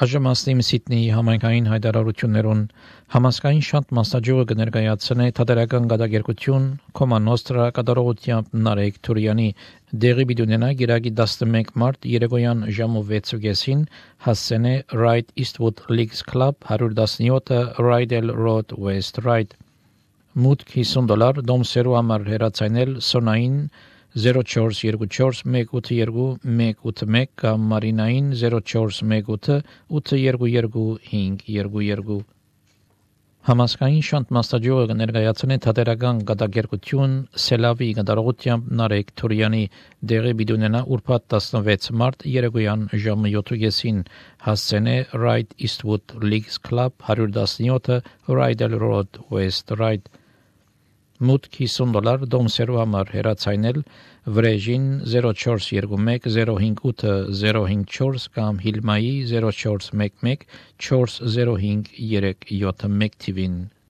Այժմ Սիդնեի համայնքային հայտարարություններուն համասկային շանտ մասնաճյուղը կներկայացնե թատերական գադագերկություն Կոմա Նոստրա կատարողությամբ Նարեկ Թուրյանի դեղի բիդունենա գիրագի 11 մարտ երեկոյան ժամու 6:30-ին հասցենե Right Eastwood Leagues Club 117 Rydell Road West Ryde մուտք $50 դոմսերու համար հեռացանել սոնային 0424 182 181 կամ մարինային 0418 822 522 Համասկային շանտ մասնաճյուղը կներկայացնե թատերական գադագերկություն Սելավի կատարողությամբ Նարեկ Թուրյանի դեղի բիդունենա ուրբաթ 16 մարտ երեկոյան ժամը 7:30-ին հասցենե Right Eastwood Leagues Club 117 Rydell Road West Ryde մուտք $50 դոմսերու համար հեռացանել վրեժին 0421 058 054 կամ Հիլմայի 0411 405 371 թիվին